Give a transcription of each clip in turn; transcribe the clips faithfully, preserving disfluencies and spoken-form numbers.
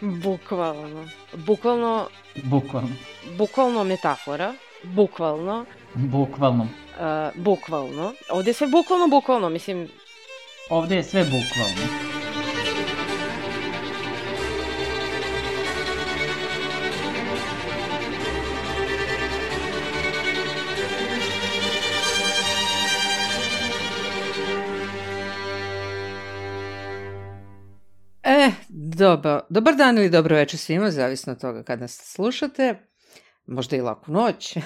Bukvalno. Bukvalno... Bukvalno. Bukvalno metafora. Bukvalno. Bukvalno. Uh, bukvalno. Ovde je sve bukvalno, bukvalno, mislim... Ovde je sve bukvalno. E, dobro, dobar dan ili dobro večer svima, zavisno od toga kad nas slušate, možda i laku noć.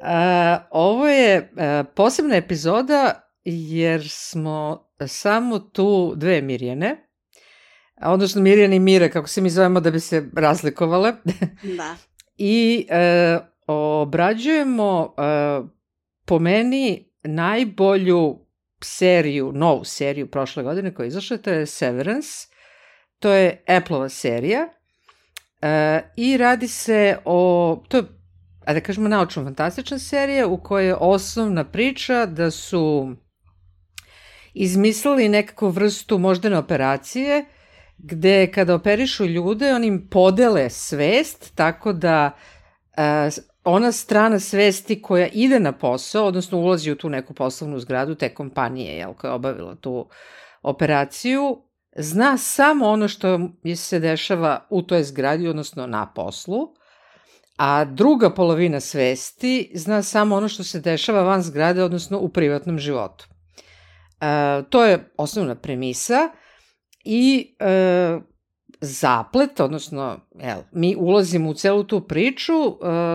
A, ovo je a, posebna epizoda jer smo samo tu dve Mirjane, odnosno Mirjane i Mire, kako se mi zovemo da bi se razlikovale. Da. I a, obrađujemo a, po meni najbolju seriju, novu seriju prošle godine koja je izašla, to je Severance. To je Apple-ova serija uh, i radi se o, to je, da kažemo, naučno-fantastična serija u kojoj je osnovna priča da su izmislili nekakvu vrstu moždane operacije gde kada operišu ljude oni im podele svest tako da uh, ona strana svesti koja ide na posao, odnosno ulazi u tu neku poslovnu zgradu te kompanije jel, koja je obavila tu operaciju, zna samo ono što se dešava u toj zgradi, odnosno na poslu, a druga polovina svesti zna samo ono što se dešava van zgrade, odnosno u privatnom životu. E, to je osnovna premisa i e, zaplet, odnosno jel, mi ulazimo u celu tu priču e,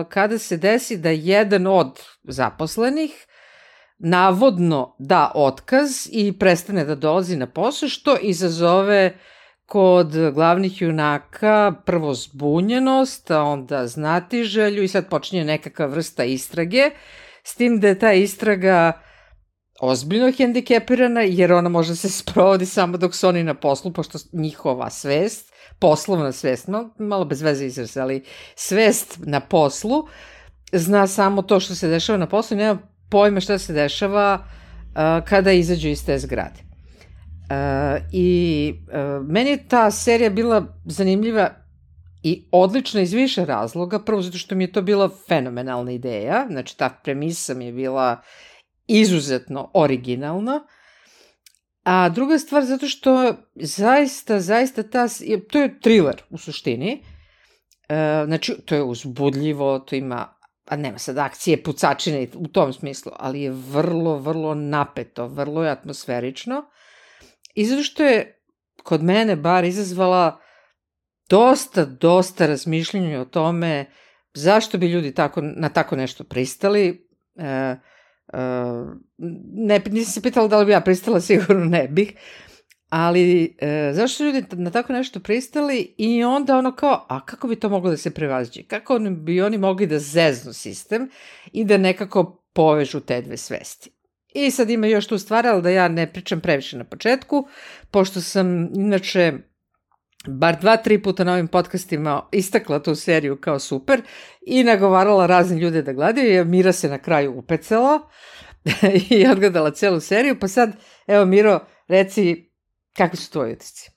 kada se desi da jedan od zaposlenih navodno da otkaz i prestane da dolazi na posao, što izazove kod glavnih junaka prvo zbunjenost, a onda znatiželju i sad počinje nekakva vrsta istrage, s tim da je ta istraga ozbiljno hendikepirana jer ona može se sprovodi samo dok su oni na poslu, pošto njihova svest, poslovna svest, malo, malo bez veze izraz, ali svest na poslu zna samo to što se dešava na poslu i nema pojma šta se dešava uh, kada izađu iz te zgrade. Uh, I uh, meni je ta serija bila zanimljiva i odlična iz više razloga. Prvo zato što mi je to bila fenomenalna ideja, znači ta premisa mi je bila izuzetno originalna. A druga stvar zato što zaista, zaista ta, to je thriller u suštini. Uh, znači to je uzbudljivo, to ima a nema sad akcije, pucačine u tom smislu, ali je vrlo, vrlo napeto, vrlo je atmosferično i zato što je kod mene bar izazvala dosta, dosta razmišljenja o tome zašto bi ljudi tako, na tako nešto pristali. E, e, ne, nisam se pitala da li bi ja pristala, sigurno ne bih, ali e, zašto ljudi na tako nešto pristali i onda ono kao, a kako bi to moglo da se prevaziđe? Kako bi oni mogli da zeznu sistem i da nekako povežu te dve svesti? I sad ima još tu stvar, ali da ja ne pričam previše na početku, pošto sam inače bar dva, tri puta na ovim podcastima istakla tu seriju kao super i nagovarala razne ljude da gledaju, jer Mira se na kraju upecala i odgledala celu seriju, pa sad, evo Miro, reci, kakvi su tvoji utisci?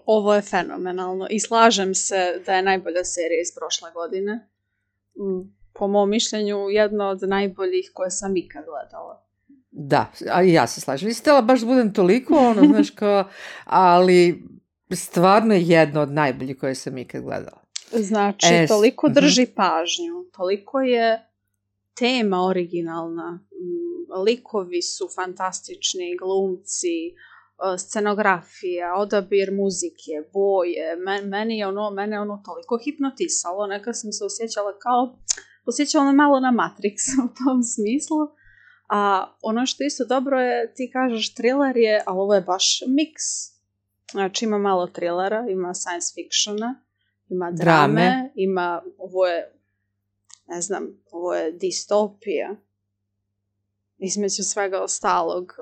Ovo je fenomenalno i slažem se da je najbolja serija iz prošle godine. Po mom mišljenju, jedna od najboljih koje sam ikad gledala. Da, a i ja se slažem. Nisam htjela baš da budem toliko, ono, znaš kao, ali stvarno je jedna od najboljih koje sam ikad gledala. Znači, e, toliko drži uh-huh. pažnju, toliko je tema originalna, likovi su fantastični, glumci, scenografija, odabir muzike, boje, Men, meni je ono, mene ono toliko hipnotisalo, nekad sam se osjećala kao, osjećala me malo na Matrix u tom smislu, a ono što isto dobro je, ti kažeš thriller je, ali ovo je baš miks, znači ima malo thrillera, ima science fictiona, ima drame, drame. Ima, ovo je, ne znam, ovo je distopija, između svega ostalog,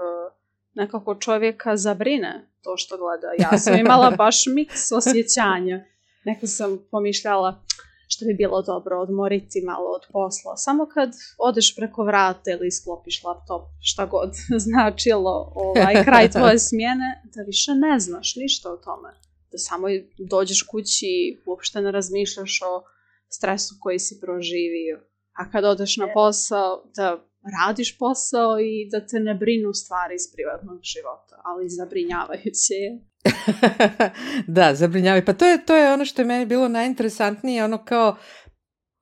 nekako čovjeka zabrine to što gleda. Ja sam imala baš miks osjećanja. Neko sam pomišljala što bi bilo dobro odmoriti malo od posla. Samo kad odeš preko vrata ili sklopiš laptop, šta god značilo ovaj, kraj tvoje smjene, da više ne znaš ništa o tome. da samo dođeš kući i uopšte ne razmišljaš o stresu koji si proživio. A kad odeš na posao, da radiš posao i da te ne brinu stvari iz privatnog života, ali zabrinjavajuće je. Da, zabrinjavaju. Pa to je, to je ono što je meni bilo najinteresantnije, ono kao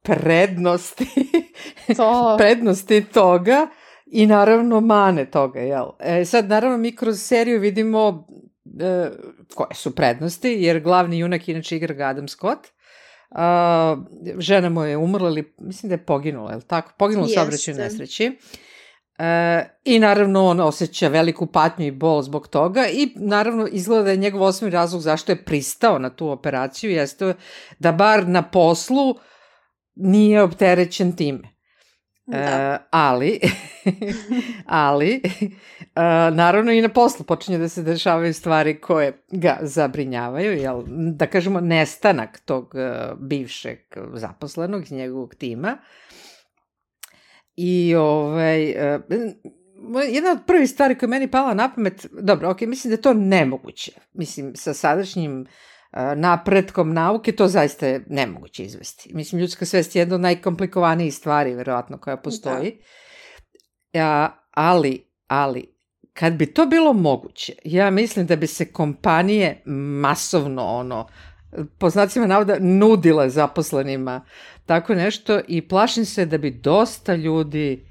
prednosti, To. prednosti toga i naravno mane toga, jel? E, sad, naravno, mi kroz seriju vidimo e, koje su prednosti, jer glavni junak inače igra ga Adam Scott. A, žena mu je umrla, ili mislim da je poginula, je li tako? Poginula u saobraćajnoj nesreći. E, I naravno on osjeća veliku patnju i bol zbog toga i naravno izgleda da je njegov osnovni razlog zašto je pristao na tu operaciju jeste da bar na poslu nije opterećen time. E, ali, ali e, naravno i na poslu počinje da se dešavaju stvari koje ga zabrinjavaju, jel, da kažemo nestanak tog e, bivšeg zaposlenog iz njegovog tima. I ovaj, e, jedna od prvih stvari koja je meni pala na pamet, dobro, ok, mislim da je to nemoguće. Mislim, sa sadašnjim napretkom nauke, to zaista je nemoguće izvesti. Mislim, ljudska svest je jedna od najkomplikovanijih stvari, verovatno, koja postoji. Ja, ali, ali, kad bi to bilo moguće, ja mislim da bi se kompanije masovno, ono, po znacima navoda, nudile zaposlenima tako nešto i plašim se da bi dosta ljudi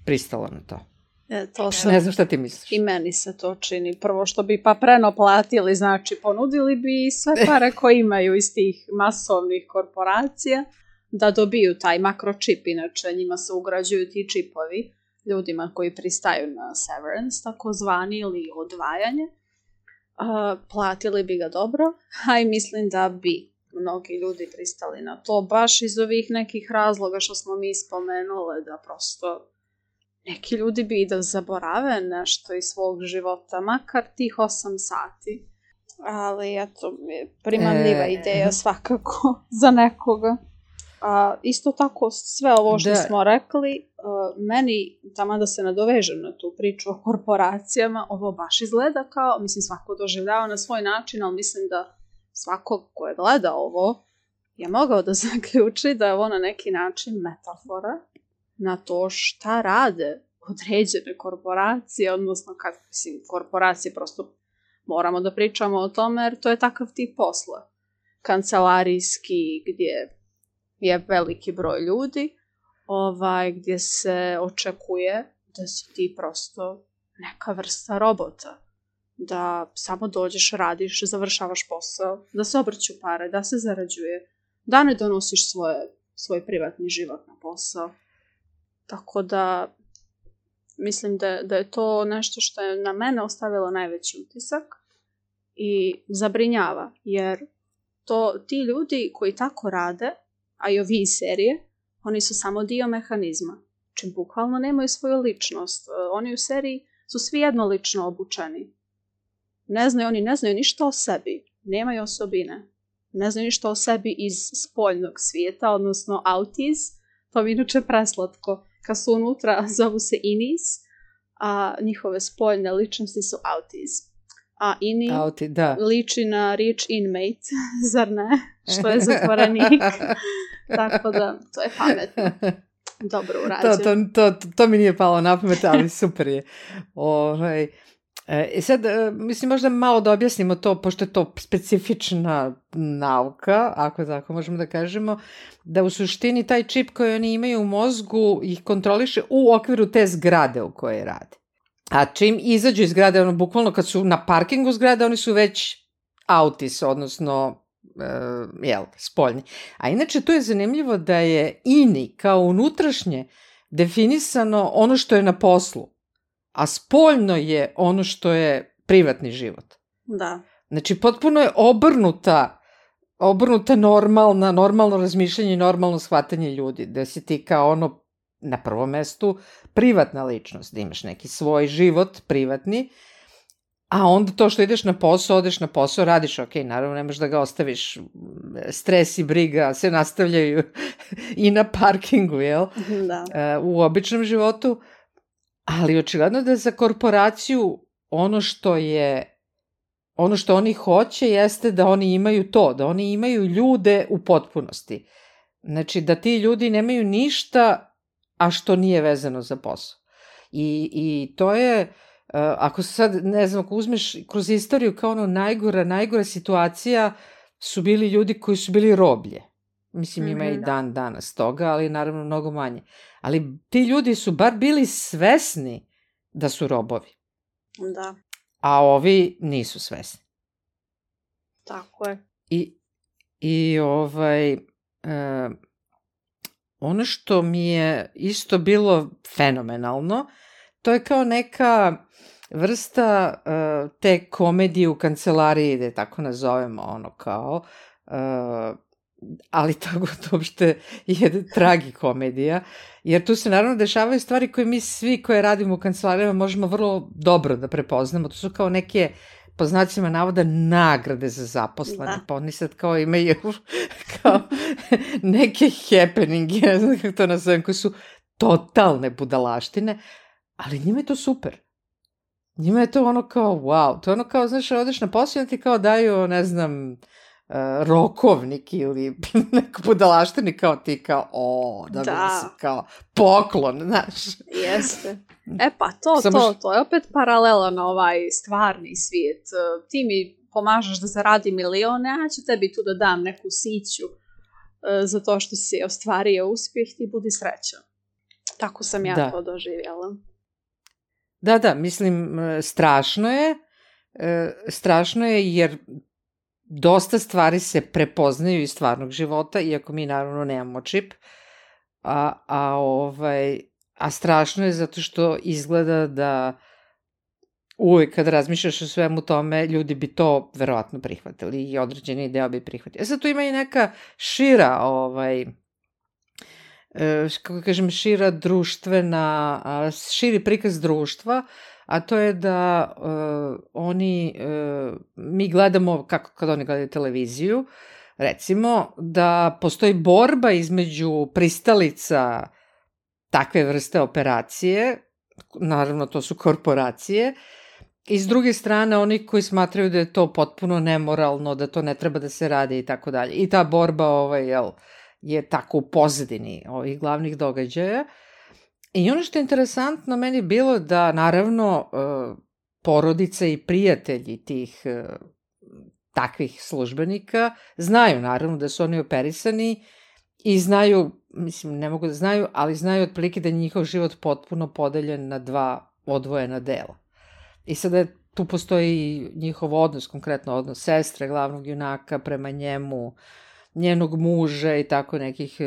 pristalo na to. E, to sam, ne znam šta ti misliš. I meni se to čini. Prvo što bi pa preno platili, znači ponudili bi sve pare koje imaju iz tih masovnih korporacija da dobiju taj makročip. Inače njima se ugrađuju ti čipovi ljudima koji pristaju na severance, takozvani, ili odvajanje. Uh, platili bi ga dobro, a i mislim da bi mnogi ljudi pristali na to, baš iz ovih nekih razloga što smo mi spomenule, da prosto neki ljudi bi da zaborave nešto iz svog života, makar tih osam sati. Ali, eto, primamljiva e... ideja svakako za nekoga. A, isto tako, sve ovo što da. smo rekli, a, meni, tamo da se nadovežem na tu priču o korporacijama, ovo baš izgleda kao, mislim, svako doživljava na svoj način, ali mislim da svako ko je gleda ovo je mogao da zaključi da je ovo na neki način metafora na to šta rade određene korporacije, odnosno kad, mislim, korporacije prosto moramo da pričamo o tome, jer to je takav tip posla. Kancelarijski, gdje je veliki broj ljudi, ovaj, gdje se očekuje da si ti prosto neka vrsta robota. Da samo dođeš, radiš, završavaš posao, da se obrću pare, da se zarađuje, da ne donosiš svoje, svoj privatni život na posao. Tako da mislim da, da je to nešto što je na mene ostavilo najveći utisak i zabrinjava, jer to ti ljudi koji tako rade, a i ovi iz serije, oni su samo dio mehanizma. Čim bukvalno nemaju svoju ličnost. Oni u seriji su svi jednolično obučeni. Ne znaju, oni ne znaju ništa o sebi. Nemaju osobine. Ne znaju ništa o sebi iz spoljnog svijeta, odnosno autis. To mi inače preslatko. Kad su unutra, zovu se inis, a njihove spoljne ličnosti su autis. A ini Auti, da. liči na riječ inmate, zar ne? Što je zatvorenik. Tako da, to je pametno. Dobro urađeno. To, to, to, to mi nije palo na pamet, ali super je. Ovaj, e, sad, mislim, možda malo da objasnimo to, pošto je to specifična nauka, ako tako možemo da kažemo, da u suštini taj čip koji oni imaju u mozgu ih kontroliše u okviru te zgrade u kojoj rade. A čim izađu iz zgrade, ono, bukvalno kad su na parkingu zgrade, oni su već autis, odnosno, uh, jel, spoljni. A inače, tu je zanimljivo da je ini kao unutrašnje definisano ono što je na poslu, a spoljno je ono što je privatni život. Da. Znači, potpuno je obrnuta, obrnuta normalna, normalno razmišljanje i normalno shvatanje ljudi, da si ti kao ono na prvom mestu privatna ličnost, da imaš neki svoj život privatni, a onda to što ideš na posao, odeš na posao, radiš, ok, naravno nemaš da ga ostaviš, stres i briga se nastavljaju i na parkingu, jel? Da. U običnom životu, ali očigledno da za korporaciju ono što je ono što oni hoće jeste da oni imaju to, da oni imaju ljude u potpunosti. Znači, da ti ljudi nemaju ništa, a što nije vezano za posao. I, i to je, uh, ako sad, ne znam, ako uzmeš kroz istoriju kao ono najgora, najgora situacija su bili ljudi koji su bili roblje. Mislim, ima mm-hmm. i dan danas toga, ali naravno mnogo manje. Ali ti ljudi su bar bili svesni da su robovi. Da. A ovi nisu svesni. Tako je. I, i ovaj, e, ono što mi je isto bilo fenomenalno, to je kao neka vrsta e, te komedije u kancelariji, da je tako nazovemo, ono kao, e, ali tako to uopšte je tragikomedija, jer tu se naravno dešavaju stvari koje mi svi koje radimo u kancelarijama možemo vrlo dobro da prepoznamo. To su kao neke, po znacima navoda, nagrade za zaposlene, da. Pa oni sad kao imaju kao neke happeninge, ne znam kako to nazovem, koje su totalne budalaštine, ali njima je to super. Njima je to ono kao wow, to je ono kao, znaš, odeš na posao i ti kao daju, ne znam, Uh, rokovnik ili neku budalaštini kao ti kao o, da bi se kao poklon, znaš. Jeste. E pa to, Samo to, to je opet paralela na ovaj stvarni svijet. Ti mi pomažeš da zaradi milione, a ću tebi tu da dam neku siću uh, za to što si ostvario uspjeh, ti budi srećan. Tako sam ja da. to doživjela. Da, da, mislim, strašno je, strašno je jer dosta stvari se prepoznaju iz stvarnog života, iako mi naravno nemamo čip, a, a, ovaj, a strašno je zato što izgleda da uvijek kad razmišljaš o svemu tome, ljudi bi to verovatno prihvatili i određeni deo bi prihvatili. E sad tu ima i neka šira, ovaj, kako kažem, šira društvena, širi prikaz društva, a to je da uh, oni, uh, mi gledamo, kako kad oni gledaju televiziju, recimo, da postoji borba između pristalica takve vrste operacije, naravno to su korporacije, i s druge strane oni koji smatraju da je to potpuno nemoralno, da to ne treba da se radi i tako dalje. I ta borba ovaj, jel, je tako u pozadini ovih glavnih događaja. I ono što je interesantno meni bilo da naravno porodice i prijatelji tih takvih službenika znaju naravno da su oni operisani i znaju, mislim ne mogu da znaju, ali znaju otprilike da je njihov život potpuno podeljen na dva odvojena dela. I sada tu postoji njihov odnos, konkretno odnos sestre, glavnog junaka prema njemu, njenog muža i tako nekih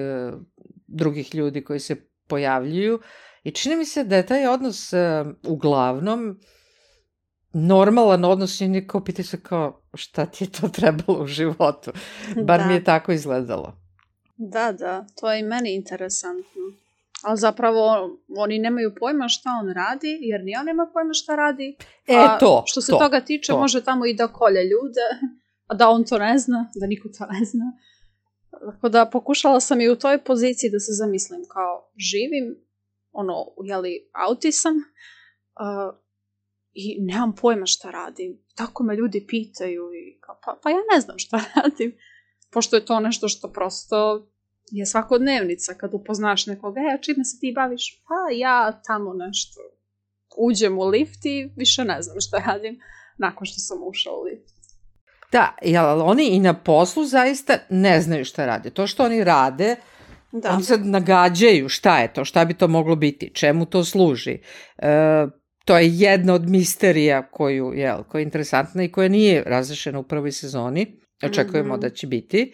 drugih ljudi koji se pojavljuju i čini mi se da je taj odnos uh, uglavnom normalan odnos i niko pita se kao šta ti je to trebalo u životu. Bar da. mi je tako izgledalo. Da, da, to je i meni interesantno. Ali zapravo oni nemaju pojma šta on radi, jer ni on nema pojma šta radi. E, a to, što se to, toga tiče, to. može tamo i da kolje ljude, a da on to ne zna, da niko to ne zna. Tako da pokušala sam i u toj poziciji da se zamislim kao živim, ono, jeli, autisam uh, i nemam pojma šta radim. Tako me ljudi pitaju i kao, pa, pa ja ne znam šta radim. Pošto je to nešto što prosto je svakodnevnica kad upoznaš nekoga, e, a čime se ti baviš? Pa ja tamo nešto uđem u lift i više ne znam šta radim nakon što sam ušao u lift. Da, jel oni i na poslu zaista ne znaju šta rade. To što oni rade, da. Oni sad nagađaju šta je to, šta bi to moglo biti, čemu to služi. E, to je jedna od misterija koju, jel, koja je interesantna i koja nije razrešena u prvoj sezoni. Očekujemo mm-hmm. da će biti.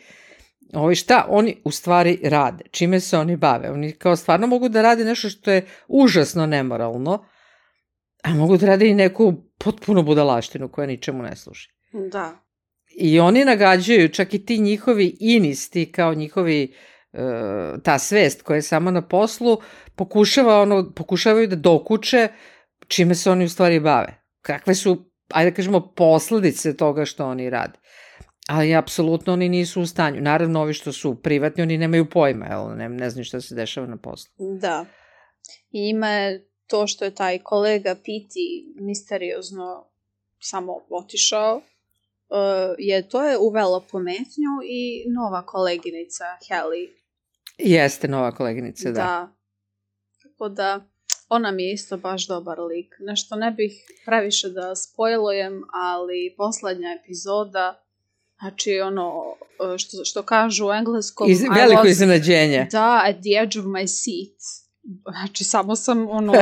Ovo, šta oni u stvari rade, čime se oni bave. Oni kao stvarno mogu da rade nešto što je užasno nemoralno, a mogu da rade i neku potpuno budalaštinu koja ničemu ne služi. Da. I oni nagađaju, čak i ti njihovi inisti, kao njihovi, uh, ta svest koja je samo na poslu, pokušava ono, pokušavaju da dokuče čime se oni u stvari bave. Kakve su, ajde da kažemo, posledice toga što oni rade. Ali apsolutno oni nisu u stanju. Naravno, ovi što su privatni, oni nemaju pojma, jel? Ne, ne znaju šta se dešava na poslu. Da. I ima to što je taj kolega Piti misteriozno samo otišao uh, je, to je uvelo pometnju i nova koleginica Haley. Jeste nova koleginica, da. Da. Tako da, ona mi je isto baš dobar lik. Nešto ne bih previše da spojlujem, ali poslednja epizoda, znači ono, što, što kažu u engleskom... Iz, veliko was, iznenađenje. Da, at the edge of my seat. Znači, samo sam ono,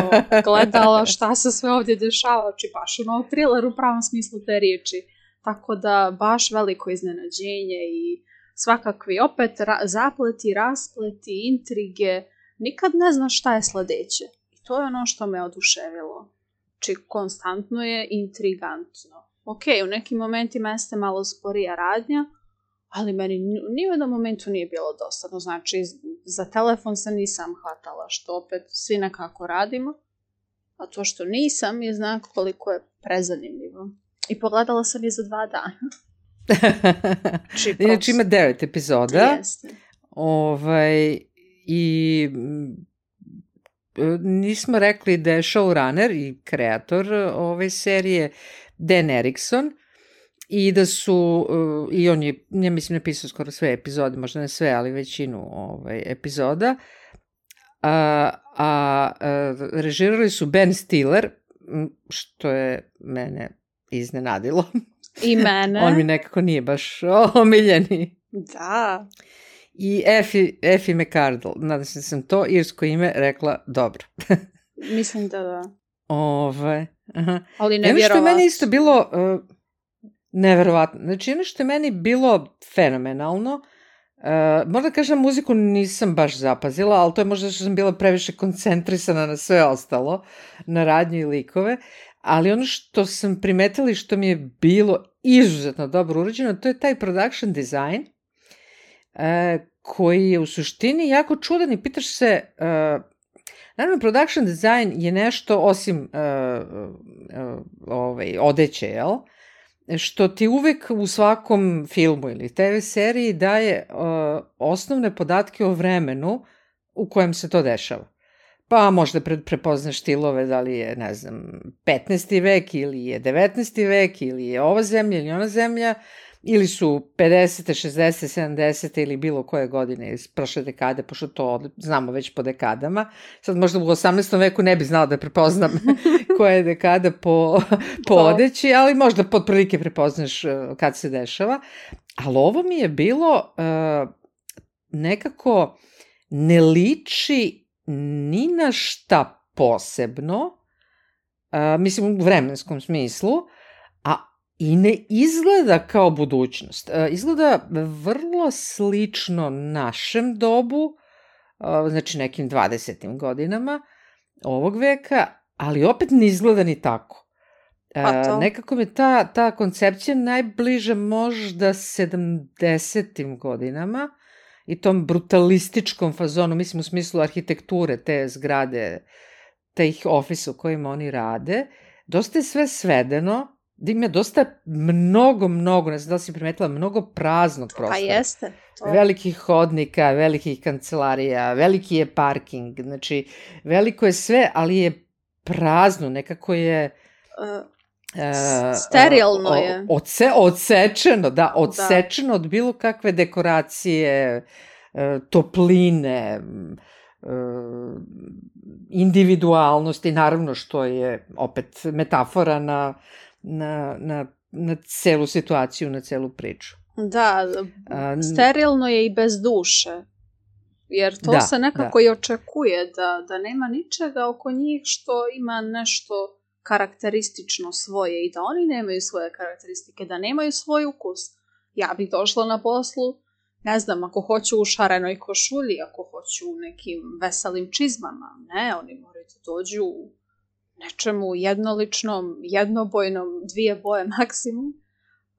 gledala šta se sve ovdje dešava, znači baš ono thriller u pravom smislu te riječi. Tako da, baš veliko iznenađenje i svakakvi opet ra- zapleti, raspleti, intrige, nikad ne znaš šta je sledeće. I to je ono što me oduševilo. Znači, konstantno je intrigantno. Ok, u nekim momentima jeste malo sporija radnja, ali meni ni u jednom momentu nije bilo dosadno. Znači, za telefon se nisam hvatala, što opet svi nekako radimo. A to što nisam je znak koliko je prezanimljivo. I pogledala sam je za dva dana. Inače ima devet epizoda. Jeste. Ovaj, i nismo rekli da je showrunner i kreator ove serije Dan Erickson i da su, i on je, ja mislim, napisao skoro sve epizode, možda ne sve, ali većinu ovaj, epizoda, a, a, a režirali su Ben Stiller, što je mene iznenadilo. I mene. On mi nekako nije baš omiljeni. Da. I Effie, Effie McCardle, nadam se da sam to irsko ime rekla dobro. Mislim da da. Ove, aha. Ali nevjerovatno. Ono što je meni isto bilo uh, neverovatno. Znači, ono što je meni bilo fenomenalno, uh, možda kažem muziku nisam baš zapazila, ali to je možda što sam bila previše koncentrisana na sve ostalo, na radnju i likove, ali ono što sam primetila i što mi je bilo izuzetno dobro urađeno, to je taj production design, uh, koji je u suštini jako čudan i pitaš se... Uh, Naravno, production design je nešto, osim uh, uh, ovaj, odeće, jel? Što ti uvek u svakom filmu ili te ve seriji daje uh, osnovne podatke o vremenu u kojem se to dešava. Pa možda pre, prepoznaš stilove, da li je, ne znam, petnaesti vek ili je devetnaesti vek ili je ova zemlja ili ona zemlja, ili su pedesete, šezdesete, sedamdesete ili bilo koje godine iz prošle dekade, pošto to znamo već po dekadama. Sad možda u osamnaestom veku ne bi znala da prepoznam koja je dekada po, po odeći, ali možda pod prilike prepoznaš kad se dešava. Ali ovo mi je bilo uh, nekako ne liči ni na šta posebno, uh, mislim u vremenskom smislu, a i ne izgleda kao budućnost. Izgleda vrlo slično našem dobu, znači nekim dvadesetim godinama ovog veka, ali opet ne izgleda ni tako. Pa nekako mi ta, ta koncepcija najbliža možda sedamdesetim godinama i tom brutalističkom fazonu, mislim u smislu arhitekture, te zgrade, teh ofisa u kojima oni rade. Dosta je sve svedeno, da ima dosta mnogo, mnogo, ne znam da li si primetila, mnogo praznog prostora. Pa jeste. To. Velikih hodnika, velikih kancelarija, veliki je parking, znači veliko je sve, ali je prazno, nekako je... Uh, uh, sterilno uh, je. Odse, odsečeno, da, odsečeno da. Od bilo kakve dekoracije, uh, topline, uh, individualnosti, naravno što je opet metafora na... Na, na, na celu situaciju, na celu priču. Da, sterilno je i bez duše, jer to da, se nekako da. I očekuje, da, da nema ničega oko njih što ima nešto karakteristično svoje i da oni nemaju svoje karakteristike, da nemaju svoj ukus. Ja bih došla na poslu, ne znam, ako hoću u šarenoj košulji, ako hoću u nekim veselim čizmama, ne, oni moraju da dođu u nečemu jednoličnom, jednobojnom, dvije boje maksimum.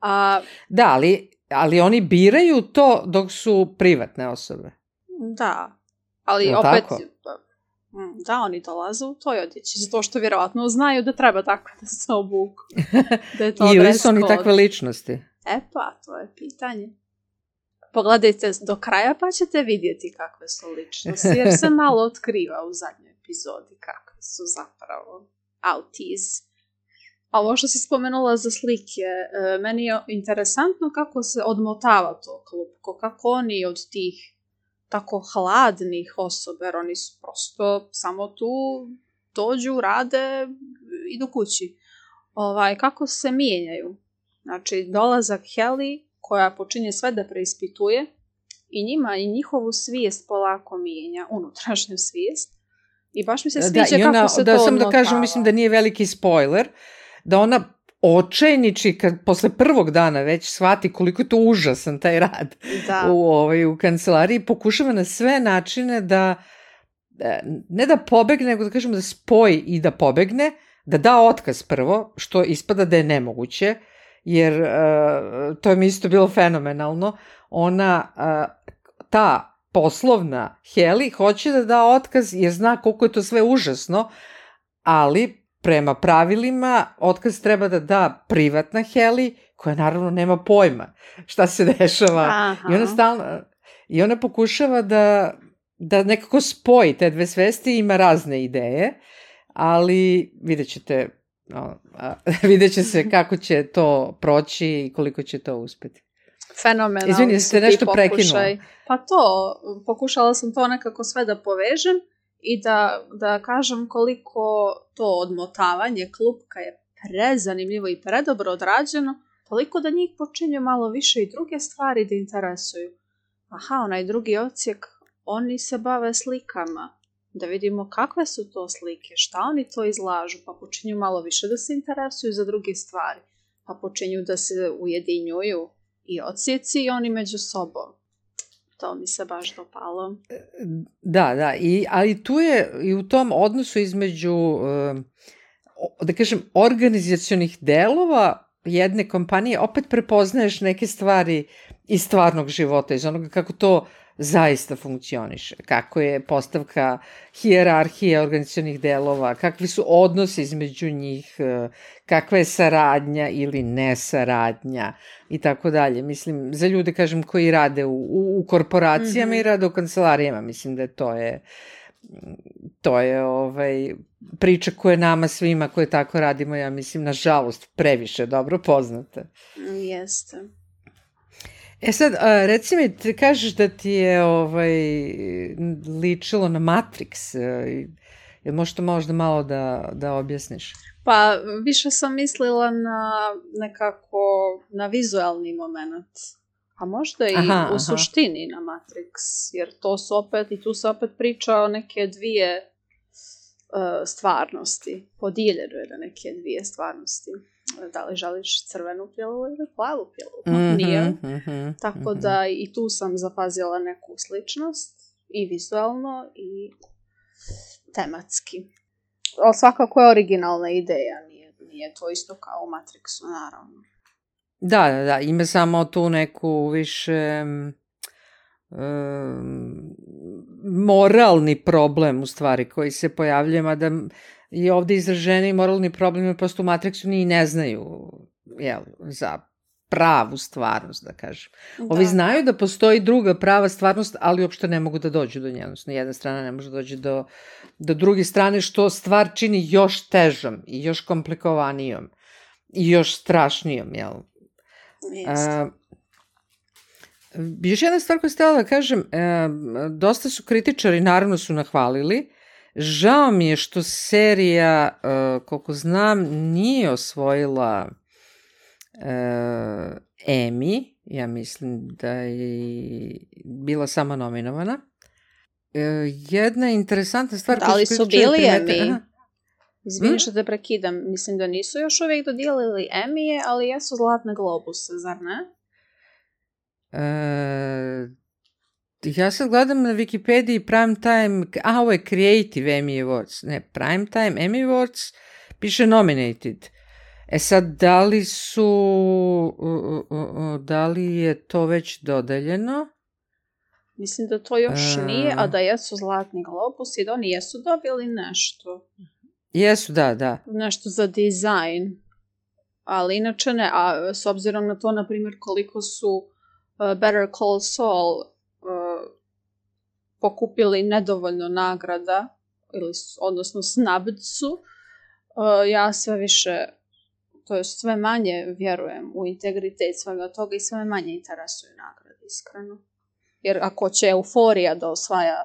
A... Da, ali, ali oni biraju to dok su privatne osobe. Da, ali je opet... Tako? Da, oni dolaze u toj odjeći, zato što vjerovatno znaju da treba tako da se obuku. Da je to ili su oni takve ličnosti? E pa, to je pitanje. Pogledajte do kraja pa ćete vidjeti kakve su ličnosti, jer se malo otkriva u zadnjoj epizodi kakve su zapravo autis. A ovo što si spomenula za slike, meni je interesantno kako se odmotava to klupko, kako oni od tih tako hladnih osoba, jer oni su prosto samo tu, dođu, rade, idu kući. Ovaj, kako se mijenjaju. Znači, dolazak Heli, koja počinje sve da preispituje, i njima i njihovu svijest polako mijenja, unutrašnju svijest. I baš mi se sviđa da, ona, kako se da, to sam odmotava. Da kažem, mislim da nije veliki spoiler, da ona očajniči kad posle prvog dana već shvati koliko je to užasan taj rad da. u, ovaj, u kancelariji, pokušava na sve načine da ne da pobegne, nego da kažemo da spoji i da pobegne, da da otkaz prvo, što ispada da je nemoguće, jer uh, to je mi isto bilo fenomenalno. Ona, uh, ta poslovna Heli hoće da da otkaz jer zna koliko je to sve užasno, ali prema pravilima otkaz treba da da privatna Heli, koja naravno nema pojma šta se dešava. Aha. I ona stalno, i ona pokušava da, da nekako spoji te dve svesti, ima razne ideje, ali vidjet ćete, no, vidjet će se kako će to proći i koliko će to uspeti. Fenomenalno. Izvini, ste nešto prekinula. Pa to, pokušala sam to nekako sve da povežem i da, da kažem koliko to odmotavanje klupka je prezanimljivo i predobro odrađeno, toliko da njih počinju malo više i druge stvari da interesuju. Aha, onaj drugi odsjek, oni se bave slikama. Da vidimo kakve su to slike, šta oni to izlažu, pa počinju malo više da se interesuju za druge stvari. Pa počinju da se ujedinjuju i odsjeci i oni među sobom. To mi se baš dopalo. Da, da, i, ali tu je i u tom odnosu između, da kažem, organizacionih delova jedne kompanije, opet prepoznaješ neke stvari iz stvarnog života, iz onoga kako to zaista funkcioniše, kako je postavka hijerarhije organizacionih delova, kakvi su odnosi između njih, kakva je saradnja ili nesaradnja i tako dalje. Mislim, za ljude, kažem, koji rade u, u, u korporacijama mm-hmm. i rade u kancelarijama, mislim da to je to je ovaj, priča koja nama svima koji tako radimo, ja mislim, nažalost, previše dobro poznata. Jeste. E sad, reci mi, ti kažeš da ti je ovaj, ličilo na Matrix, jel možeš to možda malo da, da objasniš? Pa, više sam mislila na nekako, na vizualni moment, a možda i aha, u aha. suštini na Matrix, jer to su opet, i tu se opet priča o neke dvije uh, stvarnosti, podijeljeno je na neke dvije stvarnosti. Da li želiš crvenu pilu ili plavu pilu? Mm-hmm, Nije. Mm-hmm, Tako mm-hmm. da i tu sam zapazila neku sličnost i vizualno i tematski. Ali svakako je originalna ideja, nije, nije to isto kao u Matrixu, naravno. Da, da, da, ima samo tu neku više um, moralni problem u stvari koji se pojavljuje, mada i ovde izraženi moralni problem prosto u Matrixu ni ne znaju jel, za pravu stvarnost, da kažem. Da. Ovi znaju da postoji druga prava stvarnost, ali uopšte ne mogu da dođu do nje. Odnosno, jedna strana ne može doći do, do druge strane, što stvar čini još težom i još komplikovanijom i još strašnijom, jel? Uh, još jedna stvar koju ste htjela da kažem, uh, dosta su kritičari, naravno su nahvalili. Žao mi je što serija, uh, koliko znam, nije osvojila uh, Emmy, ja mislim da je bila sama nominovana. Uh, jedna interesantna stvar... Da li su bili Emmy? Izvini što te prekidam, mislim da nisu još uvijek dodijelili Emmy, ali jesu Zlatne globuse, zar ne? Uh, Ja sad gledam na Wikipediji Primetime, a ovo je Creative Emmy Awards, ne, Primetime Emmy Awards, piše nominated. E sad, da li su, uh, uh, uh, da li je to već dodeljeno? Mislim da to još uh, nije, a da jesu Zlatni globusi, da oni jesu dobili nešto. Jesu, da, da. Nešto za dizajn, ali inače ne, a s obzirom na to, na primjer, koliko su uh, Better Call Saul uh, pokupili nedovoljno nagrada, ili, odnosno snubd su, uh, ja sve više to je sve manje vjerujem u integritet svega toga i sve manje interesuju nagrade, iskreno. Jer ako će Euforija da osvaja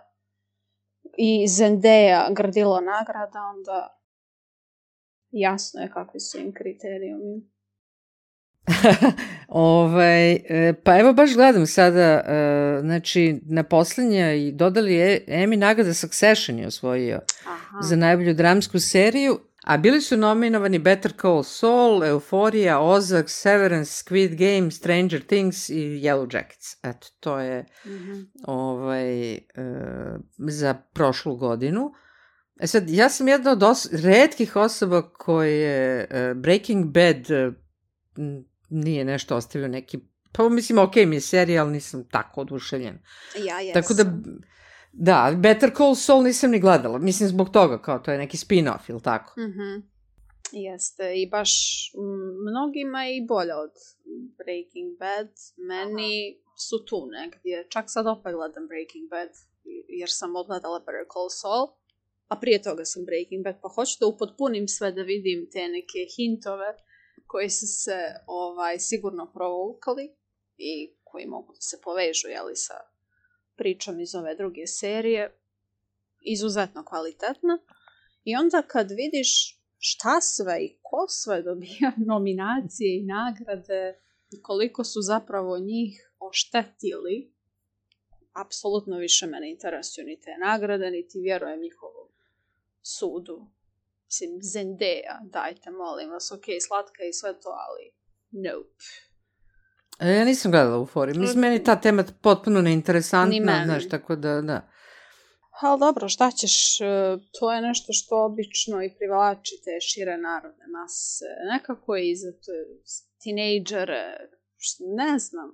i Zendaya grdilo nagrada, onda jasno je kakvi su im kriterijumi. ovaj, pa evo baš gledam sada, znači na poslednje i dodali je Emmy nagrada Succession je osvojio Aha. za najbolju dramsku seriju, a bili su nominovani Better Call Saul, Euphoria, Ozark, Severance, Squid Game, Stranger Things i Yellow Jackets. Eto, to je mm-hmm. ovaj, za prošlu godinu. E sad, ja sam jedna od os- retkih osoba koje Breaking Bad nije nešto ostavio neki, pa mislim, ok mi je serija, ali nisam tako oduševljen. Ja jesam. Tako da, da, Better Call Saul nisam ni gledala, mislim zbog toga, kao to je neki spin-off, ili tako? Mhm. Jeste, i baš mnogima je i bolje od Breaking Bad, meni Aha. su tu negdje, čak sad opet gledam Breaking Bad, jer sam odgledala Better Call Saul, a prije toga sam Breaking Bad, pa hoću da upotpunim sve da vidim te neke hintove koji su se ovaj, sigurno provukali i koji mogu da se povežu jeli, sa pričom iz ove druge serije. Izuzetno kvalitetna. I onda kad vidiš šta sve i ko sve dobija nominacije i nagrade i koliko su zapravo njih oštetili, apsolutno više mene interesuju ni te nagrade, niti vjerujem njihovom sudu. Mislim, Zendaya, dajte, molim vas, ok, slatka i sve to, ali nope. E, ja nisam gledala Euforiju. Mislim, meni ta tema potpuno neinteresantna, znaš, tako da, da. Ali dobro, šta ćeš, to je nešto što obično i privlači te šire narodne mase. Nekako i za tinejdžere, ne znam.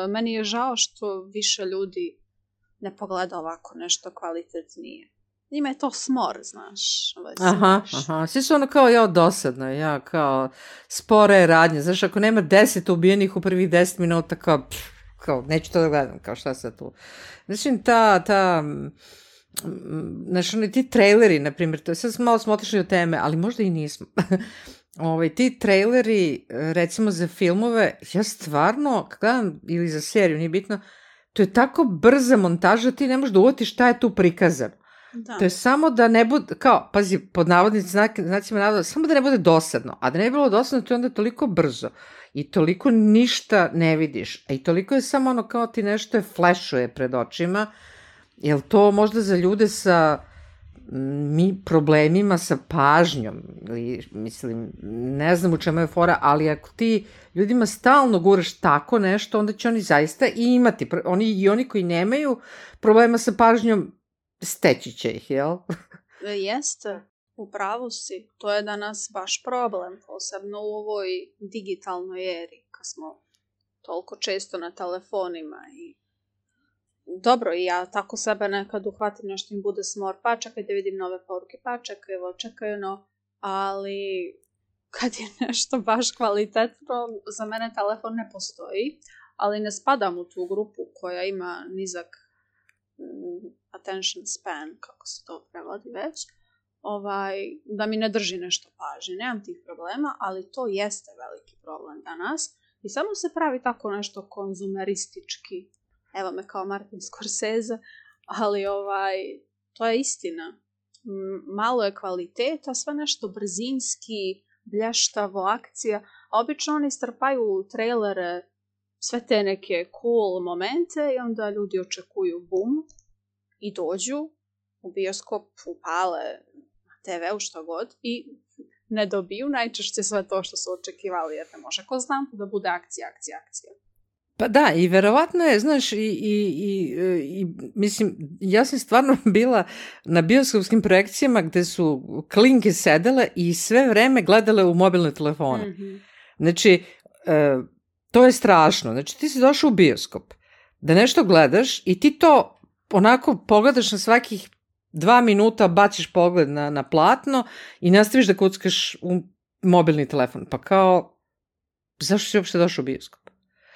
Meni je žao što više ljudi ne pogleda ovako nešto kvalitetnije. Njima je to smor, znaš. Aha, aha. Svi su ono kao ja dosadno, ja kao spore radnje. Znaš, ako nema deset ubijenih u prvih deset minuta, kao, pff, kao neću to da gledam, kao šta sad tu. Znači, ta, ta, znaš, oni ti traileri, na primjer, to, sad malo smo otišli od teme, ali možda i nismo. Ovaj, ti traileri, recimo za filmove, ja stvarno, kad gledam, ili za seriju, nije bitno, to je tako brza montaža, ti ne možeš da uvatiš šta je tu prikazano. Da. To je samo da ne bude, kao, pazi, pod navodnici, znacima navoda, samo da ne bude dosadno, a da ne bi bilo dosadno, to je onda toliko brzo i toliko ništa ne vidiš, a i toliko je samo ono kao ti nešto je flešuje pred očima, jel to možda za ljude sa mi problemima sa pažnjom, ili, mislim, ne znam u čemu je fora, ali ako ti ljudima stalno guraš tako nešto, onda će oni zaista i imati, oni, i oni koji nemaju problema sa pažnjom, steći će ih, jel? Jeste, u pravu si. To je danas baš problem, posebno u ovoj digitalnoj eri, kad smo toliko često na telefonima i dobro, i ja tako sebe nekad uhvatim nešto im bude smor, pa čekaj da vidim nove poruke, pa čekaj, evo, čekaj, no, ali kad je nešto baš kvalitetno, za mene telefon ne postoji, ali ne spadam u tu grupu koja ima nizak attention span, kako se to prevodi već, ovaj, da mi ne drži nešto pažnje. Nemam tih problema, ali to jeste veliki problem danas. I samo se pravi tako nešto konzumeristički. Evo me kao Martin Scorsese, ali ovaj, to je istina. Malo je kvaliteta, sve nešto brzinski, blještavo, akcija, a obično oni strpaju u trailere sve te neke cool momente i onda ljudi očekuju bum i dođu u bioskop, upale na te veu što god i ne dobiju najčešće sve to što su očekivali, jer ne može ko znam da bude akcija, akcija, akcija. Pa da, i verovatno je, znaš, i, i, i, i mislim, ja sam stvarno bila na bioskopskim projekcijama gde su klinke sedele i sve vreme gledale u mobilne telefone. Mm-hmm. Znači, e, to je strašno. Znači, ti si došao u bioskop da nešto gledaš i ti to onako pogledaš na svakih dva minuta, baciš pogled na, na platno i nastaviš da kuckaš u mobilni telefon. Pa kao, zašto si uopšte došao u bioskop?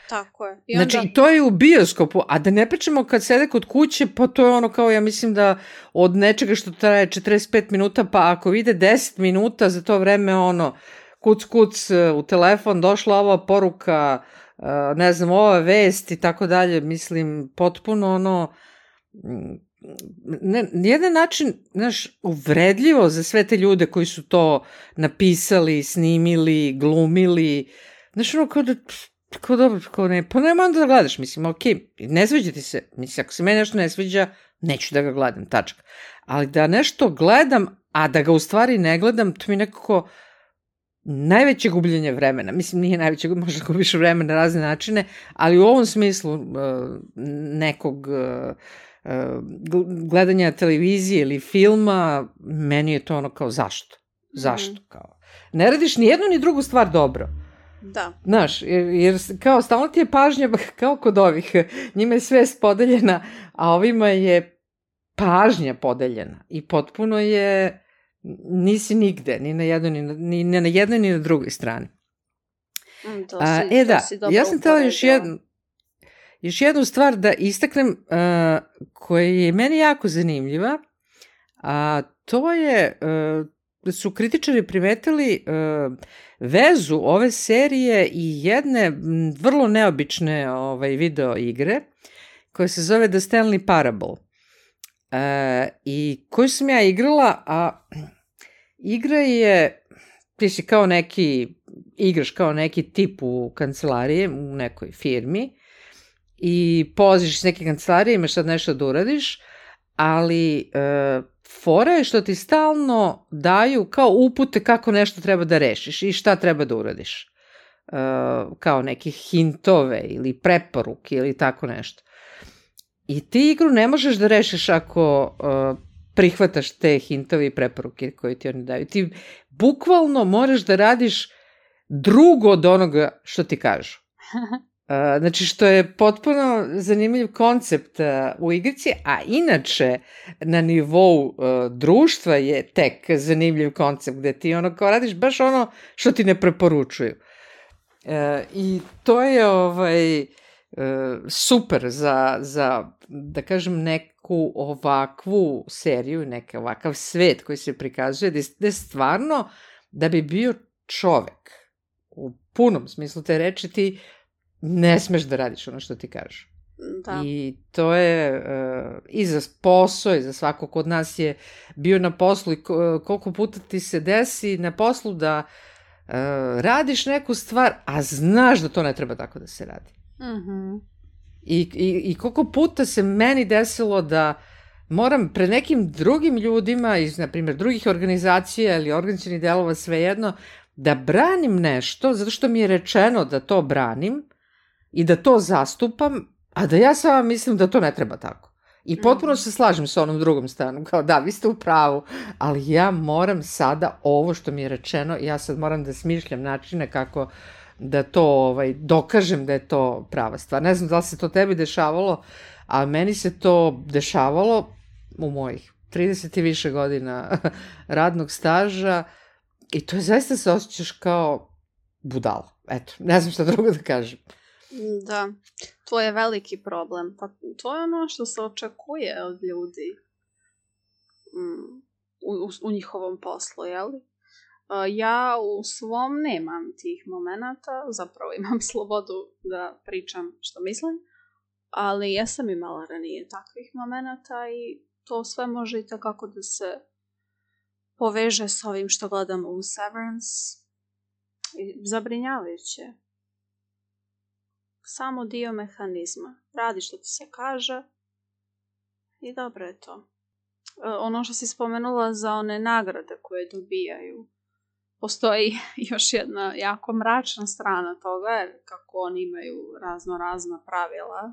Tako je. I onda... Znači, to je u bioskopu, a da ne pričamo kad sede kod kuće, pa to je ono kao, ja mislim da od nečega što traje četrdeset pet minuta, pa ako vide deset minuta, za to vreme ono, kuc kuc u telefon, došla ova poruka, ne znam, ova vest i tako dalje, mislim, potpuno ono, ne, jedan način, znaš, uvredljivo za sve te ljude koji su to napisali, snimili, glumili, znaš, ono, kao da, kao dobro, kao ne, pa nema onda da gledaš, mislim, okej, ne sviđa ti se, mislim, ako se meni nešto ne sviđa, neću da ga gledam, tačka. Ali da nešto gledam, a da ga u stvari ne gledam, to mi nekako najveće gubljenje vremena. Mislim, nije najveće, možda gubiš vremena na razne načine, ali u ovom smislu uh, nekog uh, gledanja televizije ili filma, meni je to ono kao zašto? Zašto? Mm. Kao, ne radiš ni jednu ni drugu stvar dobro. Da. Znaš, jer, jer kao stalno ti je pažnja, kao kod ovih, njima je svest podeljena, a ovima je pažnja podeljena i potpuno je, nisi nigde, ni na jednoj ni na, ni, ni na, jednoj, ni na drugoj strani. Mm, to si, a, e da, to si ja sam htjela još jednu, još jednu stvar da istaknem, uh, koja je meni jako zanimljiva, a to je uh, da su kritičari primetili uh, vezu ove serije i jedne vrlo neobične ovaj, video igre koja se zove The Stanley Parable. Uh, i koju sam ja igrala, a igra je, ti si kao neki, igraš kao neki tip u kancelariji, u nekoj firmi i polaziš iz neke kancelarije, imaš sad nešto da uradiš, ali uh, fora je što ti stalno daju kao upute kako nešto treba da rešiš i šta treba da uradiš. Uh, kao neke hintove ili preporuke ili tako nešto. I ti igru ne možeš da rešiš ako uh, prihvataš te hintove i preporuke koje ti oni daju. Ti bukvalno moraš da radiš drugo od onoga što ti kažu. Uh, znači što je potpuno zanimljiv koncept uh, u igrici, a inače na nivou uh, društva je tek zanimljiv koncept gde ti ono kao radiš baš ono što ti ne preporučuju. Uh, I to je ovaj, uh, super za, za, da kažem, neku ovakvu seriju, neki ovakav svet koji se prikazuje, gde, gde stvarno da bi bio čovek u punom smislu te reči ti ne smeš da radiš ono što ti kažu. Da. I to je uh, i za posao i za svako kod nas je bio na poslu i koliko puta ti se desi na poslu da uh, radiš neku stvar, a znaš da to ne treba tako da se radi. Mhm. I, i, i koliko puta se meni desilo da moram pred nekim drugim ljudima iz, na primjer, drugih organizacija ili organizacionih delova, svejedno, da branim nešto, zato što mi je rečeno da to branim i da to zastupam, a da ja sama mislim da to ne treba tako. I potpuno se slažem sa onom drugom stranom, kao da, vi ste u pravu, ali ja moram sada ovo što mi je rečeno, ja sad moram da smišljam načine kako da to ovaj, dokažem da je to prava stvar. Ne znam da li se to tebi dešavalo, a meni se to dešavalo u mojih trideset i više godina radnog staža i to je zaista se osjećaš kao budala. Eto, ne znam šta drugo da kažem. Da, to je veliki problem. Pa to je ono što se očekuje od ljudi mm, u, u, u njihovom poslu, jeli? Ja u svom nemam tih momenata, zapravo imam slobodu da pričam što mislim, ali ja sam imala ranije takvih momenata i to sve može i takako da se poveže s ovim što gledamo u Severance. Zabrinjavajuće. Samo dio mehanizma. Radi što ti se kaže i dobro je to. Ono što si spomenula za one nagrade koje dobijaju, postoji još jedna jako mračna strana toga, jer kako oni imaju razno razna pravila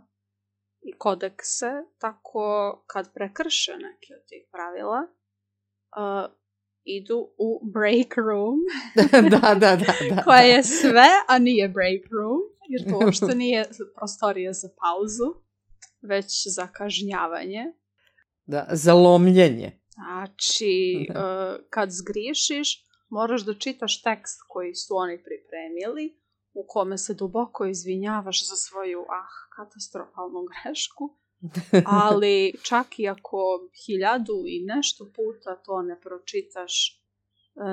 i kodekse, tako kad prekrše neke od tih pravila, uh, idu u break room, da, da, da, da, koja je sve, a nije break room, jer to uopšte nije prostorija za pauzu, već za kažnjavanje. Da, za lomljenje. Znači, uh, kad zgriješiš, moraš da čitaš tekst koji su oni pripremili, u kome se duboko izvinjavaš za svoju, ah, katastrofalnu grešku, ali čak i ako hiljadu i nešto puta to ne pročitaš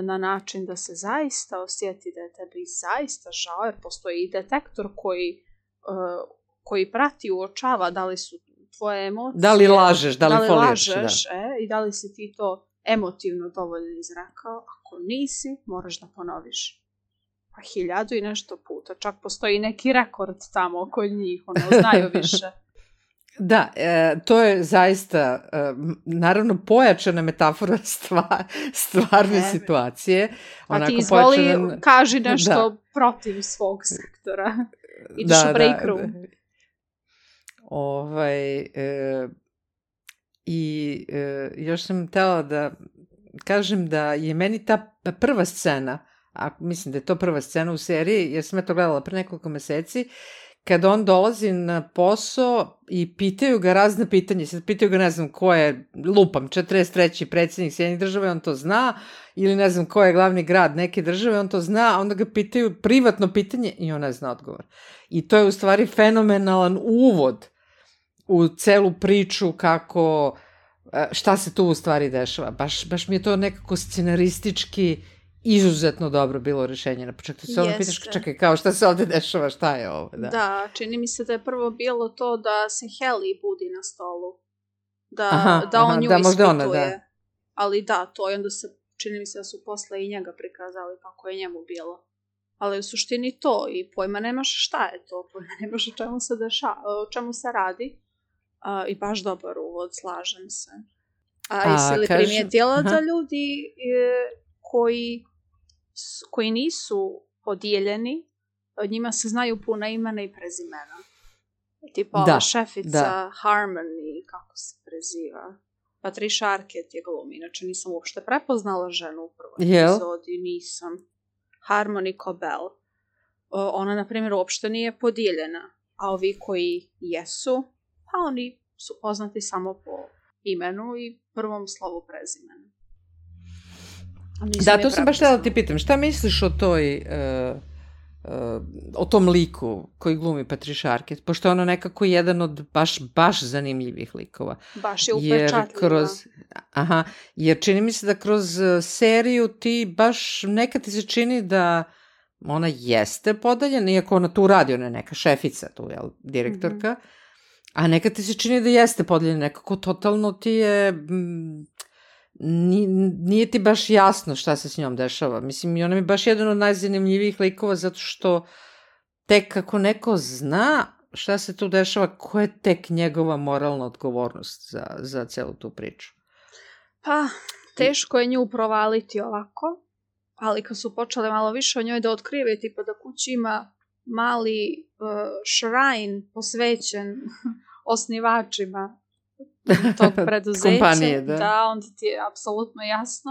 na način da se zaista osjeti da je tebi zaista žao, jer postoji i detektor koji, uh, koji prati, uočava da li su tvoje emocije... Da li lažeš, da li, da li foliraš, lažeš, da. E, i da li si ti to emotivno dovoljno izrekao. Ako nisi, moraš da ponoviš. Pa hiljadu i nešto puta. Čak postoji neki rekord tamo kod njih, ono, znaju više. Da, e, to je zaista, e, naravno, pojačana metafora stva, stvarne ne, situacije. Pa ti izvoli, pojačan... kaži nešto da. protiv svog sektora. Ideš da, u break room. Da, da. Ovaj, e, I e, još sam htela da kažem da je meni ta prva scena, a mislim da je to prva scena u seriji, jer sam ja to gledala pre nekoliko meseci, kada on dolazi na posao i pitaju ga razne pitanje, sad pitaju ga ne znam ko je, lupam, četrdeset treći predsjednik Sjedinjenih država, on to zna, ili ne znam ko je glavni grad neke države, on to zna, a onda ga pitaju privatno pitanje i on ne zna odgovor. I to je u stvari fenomenalan uvod u celu priču kako, šta se tu u stvari dešava. Baš, baš mi je to nekako scenaristički izuzetno dobro bilo rešenje. Na početku se ono pitaš, čekaj, kao šta se ovde dešava, šta je ovo? Da. da, čini mi se da je prvo bilo to da se Heli budi na stolu. Da, aha, da on aha, nju da, ispituje. Ona, da. Ali da, to i onda se, čini mi se da su posle i njega prikazali kako je njemu bilo. Ali u suštini to i pojma nemaš šta je to, pojma nemaš o čemu se, deša, o čemu se radi. A, i baš dobar uvod, slažem se. A, A jesi li kažem, primijetila aha. da ljudi e, koji, koji nisu podijeljeni, od njima se znaju puna imena i prezimena. Tipa da, ova šefica da. Harmony, kako se preziva. Patricia Arquette je glumi, inače nisam uopšte prepoznala ženu u prvoj Jel? epizodi, nisam. Harmony Cobell. O, ona, na primjer, uopšte nije podijeljena, a ovi koji jesu, pa oni su poznati samo po imenu i prvom slovu prezimena. Da, to sam baš htjela da ti pitam. Šta misliš o toj, uh, uh, o tom liku koji glumi Patricia Arquette? Pošto je ono nekako jedan od baš, baš zanimljivih likova. Baš je upečatljiva. Kroz, aha, jer čini mi se da kroz seriju ti baš nekad ti se čini da ona jeste podeljena, iako ona tu radi, ona je neka šefica tu, jel, direktorka, mm-hmm. a nekad ti se čini da jeste podeljena, nekako totalno ti je... Mm, nije ti baš jasno šta se s njom dešava. Mislim, i ona mi je baš jedan od najzanimljivijih likova zato što tek kako neko zna šta se tu dešava, koja je tek njegova moralna odgovornost za, za celu tu priču. Pa, teško je nju provaliti ovako, ali kad su počeli malo više o njoj da otkrivaju, tipa da kući ima mali uh, shrine posvećen osnivačima tog preduzeća, kompanije, da. da, onda ti je apsolutno jasno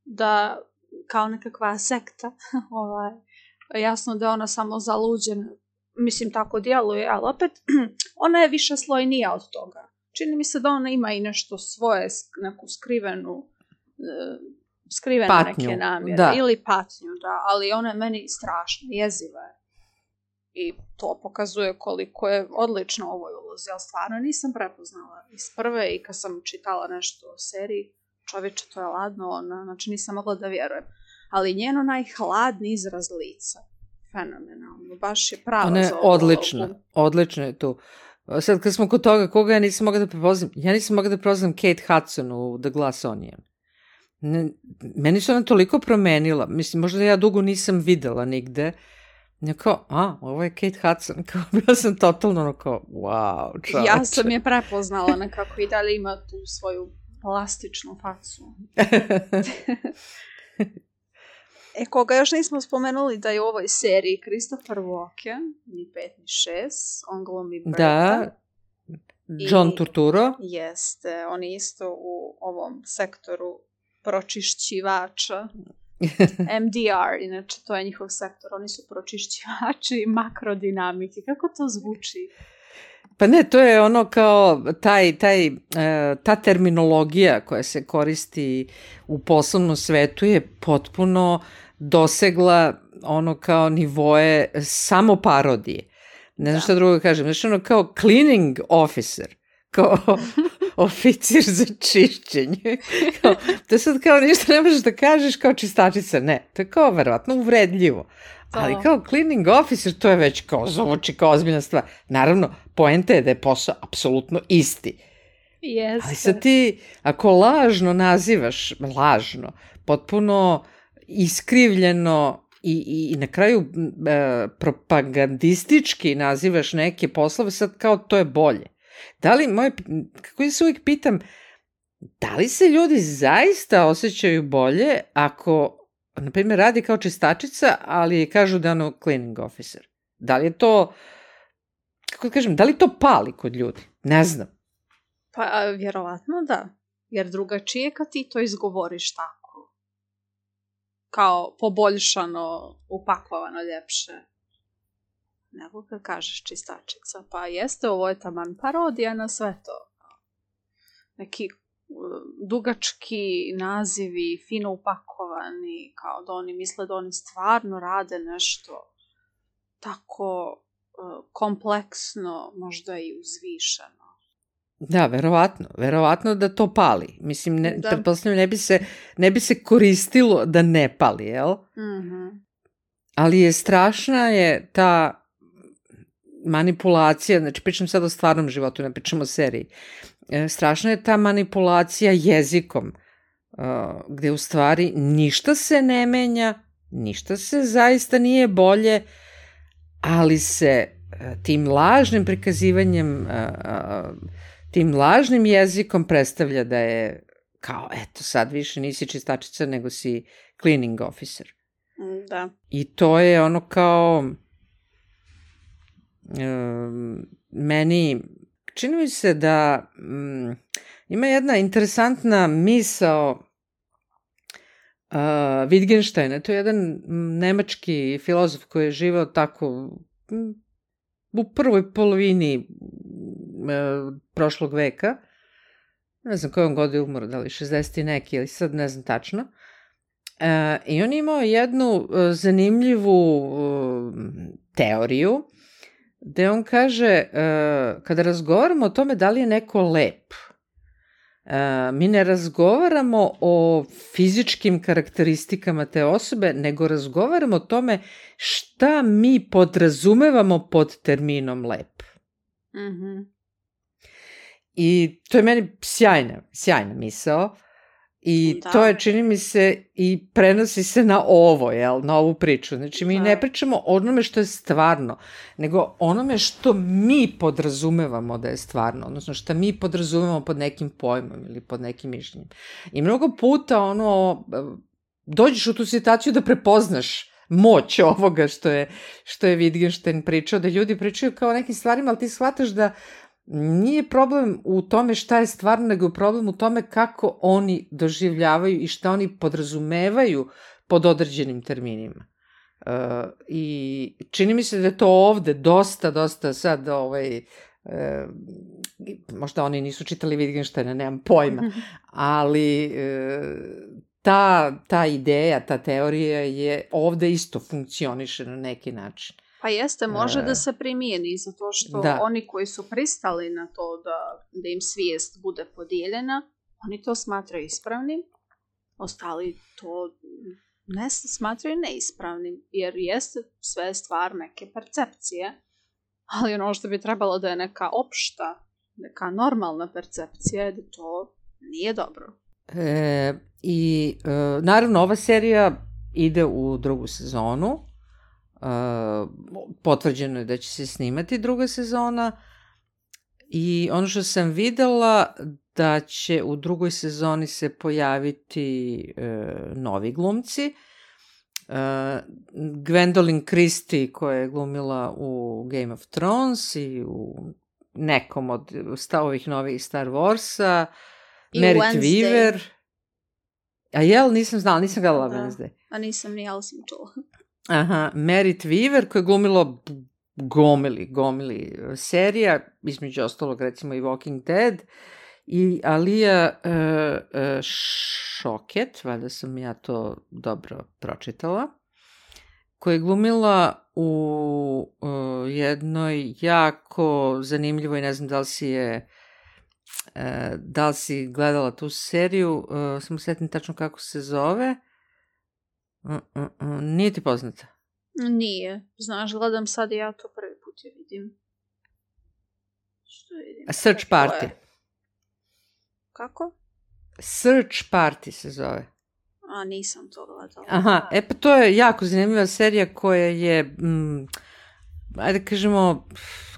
da kao nekakva sekta, ovaj, jasno da je ona samo zaluđena, mislim tako djeluje, ali opet ona je više slojnija od toga. Čini mi se da ona ima i nešto svoje, neku skrivenu, skrivene patnju, neke namjere, da. Ili patnju, da, ali ona je meni strašna, jeziva je. I to pokazuje koliko je odlično ovoj ulozi, ali stvarno nisam prepoznala iz prve i kad sam čitala nešto o seriji, čovječe, to je ladno, ona, znači nisam mogla da vjerujem. Ali njeno najhladni izraz lica, fenomenalno, baš je prava ona je za ovu odlična, ovu. odlična je tu. Sad kad smo kod toga, koga ja nisam mogla da prepoznam, ja nisam mogla da prepoznam Kate Hudson u The Glass Onion. Ne, meni se ona toliko promenila, mislim, možda ja dugo nisam videla nigde. Ja kao, a, ovo je Kate Hudson, kao, bila sam totalno ono kao, wow, čovječe. Ja sam je prepoznala nekako i dalje ima tu svoju plastičnu facu. E, koga još nismo spomenuli da je u ovoj seriji Christopher Walken, ni pet ni šest, on glumi Berta. Da, John I, Turturro. Jeste, on je isto u ovom sektoru pročišćivača. M D R, inače to je njihov sektor, oni su pročišćivači makrodinamike. Kako to zvuči? Pa ne, to je ono kao taj, taj, ta terminologija koja se koristi u poslovnom svetu je potpuno dosegla ono kao nivoe samo parodije. Ne znam šta drugo kažem. Znači ono kao cleaning officer, kao oficir za čišćenje. Kao, to je sad kao ništa ne možeš da kažeš kao čistačica. Ne, to je kao verovatno uvredljivo. Ali kao cleaning officer, to je već kao zvuči kao ozbiljna stvar. Naravno, poenta je da je posao apsolutno isti. Jeste. Ali sad ti, ako lažno nazivaš, lažno, potpuno iskrivljeno i, i, i na kraju e, propagandistički nazivaš neke poslove, sad kao to je bolje. Da li, moje, kako ja se uvijek pitam, da li se ljudi zaista osjećaju bolje ako, na primjer, radi kao čistačica, ali kažu da je ono cleaning officer? Da li je to, kako da kažem, da li to pali kod ljudi? Ne znam. Pa, vjerovatno da. Jer drugačije kad ti to izgovoriš tako. Kao poboljšano, upakovano, ljepše. Nego kad kažeš čistačica. Pa jeste, ovo je taman parodija na sve to. Neki dugački nazivi, fino upakovani, kao da oni misle da oni stvarno rade nešto tako uh, kompleksno, možda i uzvišeno. Da, verovatno. Verovatno da to pali. Mislim, ne, pretpostavljam, ne bi se, ne bi se koristilo da ne pali, jel? Mm-hmm. Ali je strašna je ta manipulacija, znači pričam sad o stvarnom životu, ne pričam o seriji. E, strašna je ta manipulacija jezikom, uh, gde u stvari ništa se ne menja, ništa se zaista nije bolje, ali se uh, tim lažnim prikazivanjem, uh, uh, tim lažnim jezikom predstavlja da je kao, eto, sad više nisi čistačica, nego si cleaning officer. Da. I to je ono kao um, meni čini mi se da um, ima jedna interesantna misao uh, Wittgensteina, to je jedan nemački filozof koji je živeo tako um, u prvoj polovini uh, prošlog veka, ne znam kojom godinu umro, da li šezdeset i neki ili sad ne znam tačno. Uh, I on je imao jednu uh, zanimljivu uh, teoriju gde on kaže, uh, kada razgovaramo o tome da li je neko lep, uh, mi ne razgovaramo o fizičkim karakteristikama te osobe, nego razgovaramo o tome šta mi podrazumevamo pod terminom lep. Mhm. I to je meni sjajna, sjajna misao. I da. To je, čini mi se, i prenosi se na ovo, jel, na ovu priču. Znači, mi da. ne pričamo o onome što je stvarno, nego onome što mi podrazumevamo da je stvarno, odnosno što mi podrazumevamo pod nekim pojmom ili pod nekim mišljenjem. I mnogo puta, ono, dođeš u tu situaciju da prepoznaš moć ovoga što je, što je Wittgenstein pričao, da ljudi pričaju kao o nekim stvarima, ali ti shvataš da nije problem u tome šta je stvarno, nego je problem u tome kako oni doživljavaju i šta oni podrazumevaju pod određenim terminima. Uh, I čini mi se da je to ovde dosta, dosta sad, ovaj, uh, možda oni nisu čitali Wittgensteina, nemam pojma, ali uh, ta, ta ideja, ta teorija je ovde isto funkcioniše na neki način. Pa jeste, može da se primijeni, zato što da. oni koji su pristali na to da, da im svijest bude podijeljena, oni to smatraju ispravnim, ostali to ne smatraju neispravnim, jer jeste sve stvar neke percepcije, ali ono što bi trebalo da je neka opšta, neka normalna percepcija, da to nije dobro. E, I e, naravno ova serija ide u drugu sezonu. Uh, potvrđeno je da će se snimati druga sezona i ono što sam videla da će u drugoj sezoni se pojaviti uh, novi glumci. Uh, Gwendolyn Christie koja je glumila u Game of Thrones i u nekom od ovih novih Star Warsa, Merit Weaver. A jel, nisam znala, nisam gledala da. Wednesday. A nisam ni, ali sam čula. Aha, Merit Weaver koja je glumila gomili, gomili serija, između ostalog recimo i Walking Dead, i Alia uh, uh, Shawkat, valjda sam ja to dobro pročitala, koja je glumila u uh, jednoj jako zanimljivoj, ne znam da li si je e, da li si gledala tu seriju, e, samo setim tačno kako se zove. Uh, uh, uh, nije ti poznata? Nije. Znaš, gledam sad i ja to prvi put je vidim. Što vidim? Search Party. Je? Kako? Search Party se zove. A, nisam to gledala. Aha, e pa to je jako zanimljiva serija koja je, mm, ajde kažemo,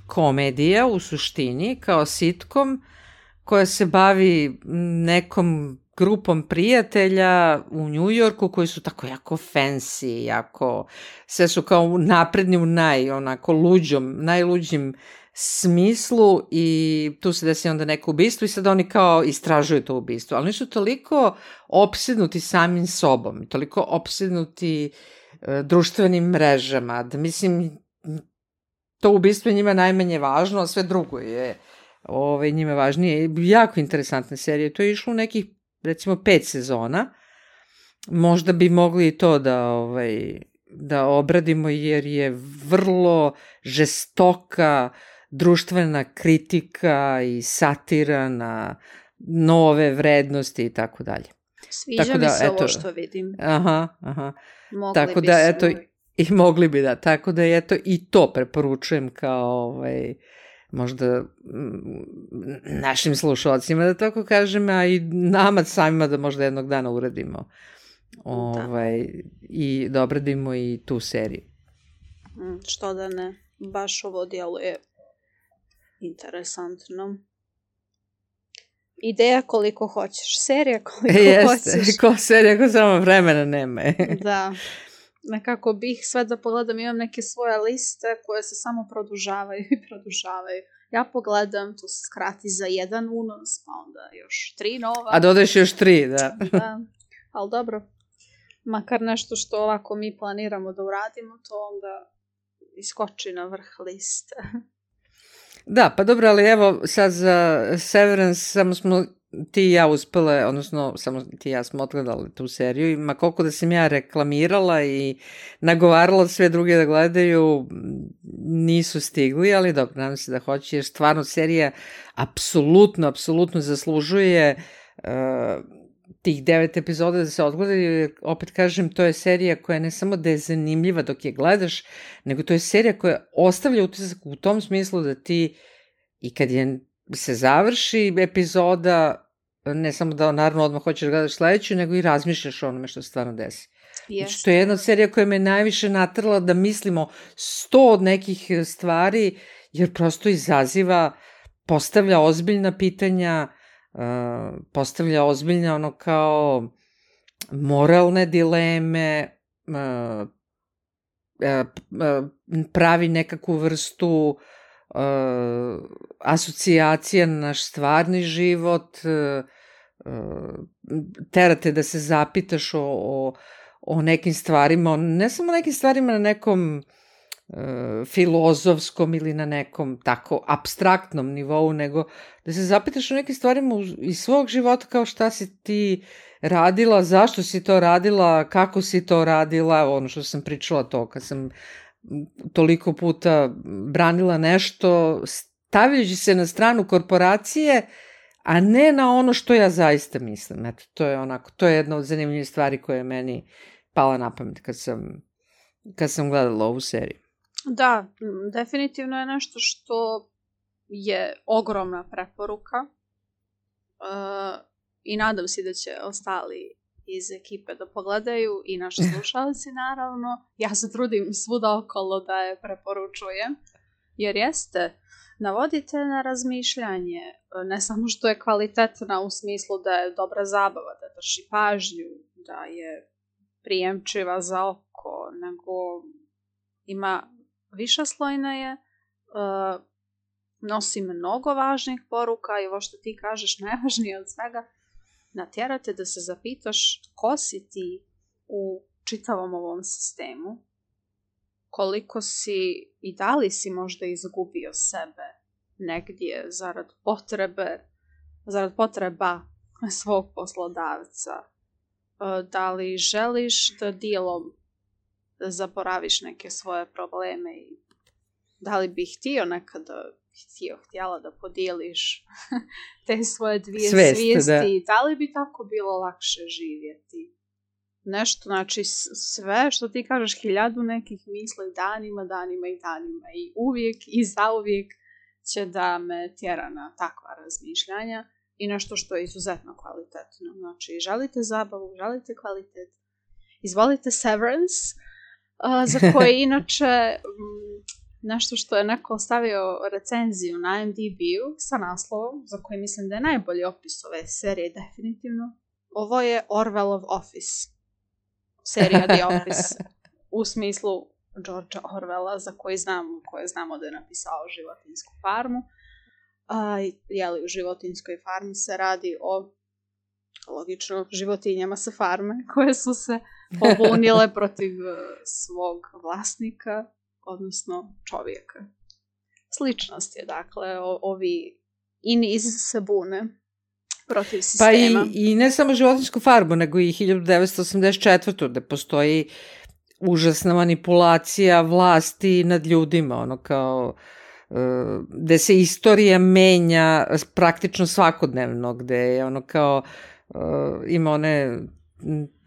komedija u suštini, kao sitcom, koja se bavi nekom grupom prijatelja u New Yorku koji su tako jako fancy, jako, sve su kao napredni u naj, onako, luđom, najluđim smislu i tu se desi onda neko ubistvo i sad oni kao istražuju to ubistvo, ali oni su toliko opsednuti samim sobom, toliko opsednuti e, društvenim mrežama, da mislim, to ubistvo je njima najmanje važno, a sve drugo je ove, njima važnije. Jako interesantna serija, to je išlo u nekih, recimo, pet sezona, možda bi mogli i to da, ovaj, da obradimo, jer je vrlo žestoka društvena kritika i satira na nove vrednosti i tako dalje. Sviđa tako da, mi se eto, ovo što vidim. Aha, aha. Mogli tako bi da, se eto, i mogli bi da, tako da eto i to preporučujem kao ovaj, možda našim slušalcima, da tako kažem, a i nama samima da možda jednog dana uradimo ovaj, da. I da obradimo i tu seriju. Što da ne, baš ovo djeluje interesantno. Ideja koliko hoćeš, serija koliko Jeste, hoćeš. Ko serija, ko samo vremena nema. Da, nekako bih sve da pogledam, imam neke svoje liste koje se samo produžavaju i produžavaju. Ja pogledam, to se skrati za jedan unos, pa onda još tri nova. A dodaješ još tri, da. Da, ali dobro. Makar nešto što ovako mi planiramo da uradimo, to onda iskoči na vrh liste. Da, pa dobro, ali evo sad za Severance samo smo ti i ja uspele, odnosno samo ti i ja smo odgledali tu seriju i ma koliko da sam ja reklamirala i nagovarala sve druge da gledaju, nisu stigli, ali dobro, nadam se da hoće, jer stvarno serija apsolutno, apsolutno zaslužuje uh, tih devet epizoda da se odgledaju, opet kažem, to je serija koja ne samo da je zanimljiva dok je gledaš, nego to je serija koja ostavlja utisak u tom smislu da ti i kad je se završi epizoda, ne samo da naravno odmah hoćeš gledaš sledeću, nego i razmišljaš o onome što se stvarno desi. Yes. Znači, to je jedna serija koja me najviše natrla da mislimo sto od nekih stvari, jer prosto izaziva, postavlja ozbiljna pitanja, Uh, postavlja ozbiljne ono kao moralne dileme, uh, uh, pravi nekakvu vrstu uh, asocijacija na naš stvarni život, uh, terate da se zapitaš o, o, o nekim stvarima, ne samo nekim stvarima na nekom uh, filozofskom ili na nekom tako apstraktnom nivou, nego da se zapitaš o nekim stvarima iz svog života, kao šta si ti radila, zašto si to radila, kako si to radila, ono što sam pričala to, kad sam toliko puta branila nešto, stavljajući se na stranu korporacije, a ne na ono što ja zaista mislim. Eto, to je onako, to je jedna od zanimljivih stvari koja je meni pala na pamet kad sam, kad sam gledala ovu seriju. Da, definitivno je nešto što je ogromna preporuka uh, i nadam se da će ostali iz ekipe da pogledaju i naši slušalci naravno. Ja se trudim svuda okolo da je preporučujem, jer jeste, navodite na razmišljanje, ne samo što je kvalitetna u smislu da je dobra zabava, da drži pažnju, da je prijemčiva za oko, nego ima višeslojna je, uh, nosi mnogo važnih poruka i ovo što ti kažeš najvažnije od svega, natjerate da se zapitaš ko si ti u čitavom ovom sistemu, koliko si i da li si možda izgubio sebe negdje zarad potrebe, zarad potreba svog poslodavca, da li želiš da dijelom zaboraviš neke svoje probleme i da li bih htio nekada htio, htjela da podijeliš te svoje dvije Svest, svijesti, da. da li bi tako bilo lakše živjeti? Nešto, znači sve što ti kažeš, hiljadu nekih misli danima, danima i danima i uvijek i zauvijek će da me tjera na takva razmišljanja i nešto što je izuzetno kvalitetno. Znači, želite zabavu, želite kvalitet, izvolite Severance, uh, za koje inače m, nešto što je neko stavio recenziju na I M D B-u sa naslovom, za koji mislim da je najbolji opis ove serije definitivno. Ovo je Orwellov Office. Serija The Office. U smislu Georgea Orwella, za koji znamo, koje znamo da je napisao Životinjsku farmu. A, jeli, u Životinjskoj farmi se radi o, logično, životinjama sa farme, koje su se pobunile protiv svog vlasnika, odnosno čovjeka. Sličnost je, dakle, o, ovi ini iz se bune protiv sistema. Pa i, i ne samo Životinjsku farmu, nego i hiljadu devetsto osamdeset četvrte. gde postoji užasna manipulacija vlasti nad ljudima, ono kao gde se istorija menja praktično svakodnevno, gde je ono kao ima one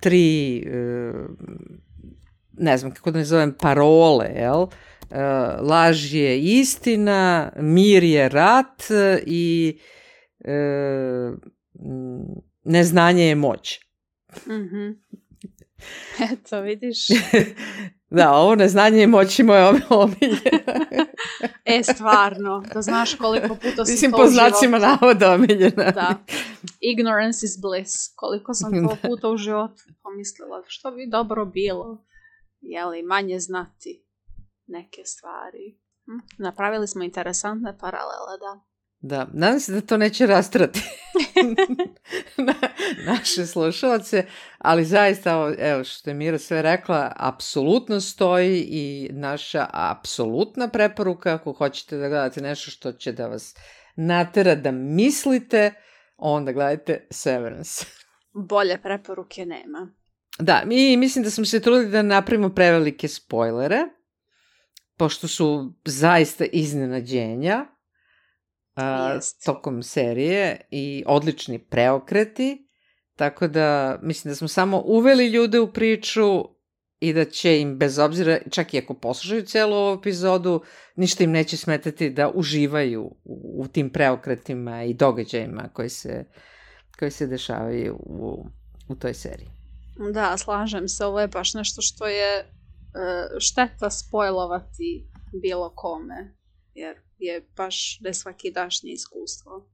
tri, ne znam kako da ne zovem, parole, jel? Laž je istina, mir je rat i neznanje je moć. Mhm. Eto, vidiš. Da, ovo neznanje i moći moje omiljena. E, stvarno, da znaš koliko puta sam Mislim, to po u životu. znacima navoda omiljena. Da. Ignorance is bliss. Koliko sam to puta u životu pomislila. Što bi dobro bilo, jeli, manje znati neke stvari. Hm? Napravili smo interesantne paralele, da. Da, nadam se da to neće rastrati na, naše slušalce, ali zaista, evo što je Mira sve rekla, apsolutno stoji i naša apsolutna preporuka, ako hoćete da gledate nešto što će da vas natera da mislite, onda gledajte Severance. Bolje preporuke nema. Da, mi mislim da smo se trudili da napravimo prevelike spoilere, pošto su zaista iznenađenja Uh, tokom serije i odlični preokreti, tako da mislim da smo samo uveli ljude u priču i da će im bez obzira, čak i ako poslušaju celu ovu epizodu, ništa im neće smetati da uživaju u, u tim preokretima i događajima koji se, koji se dešavaju u, u toj seriji. Da, slažem se, ovo je baš nešto što je uh, šteta spojlovati bilo kome, jer je baš nesvakidašnje iskustvo.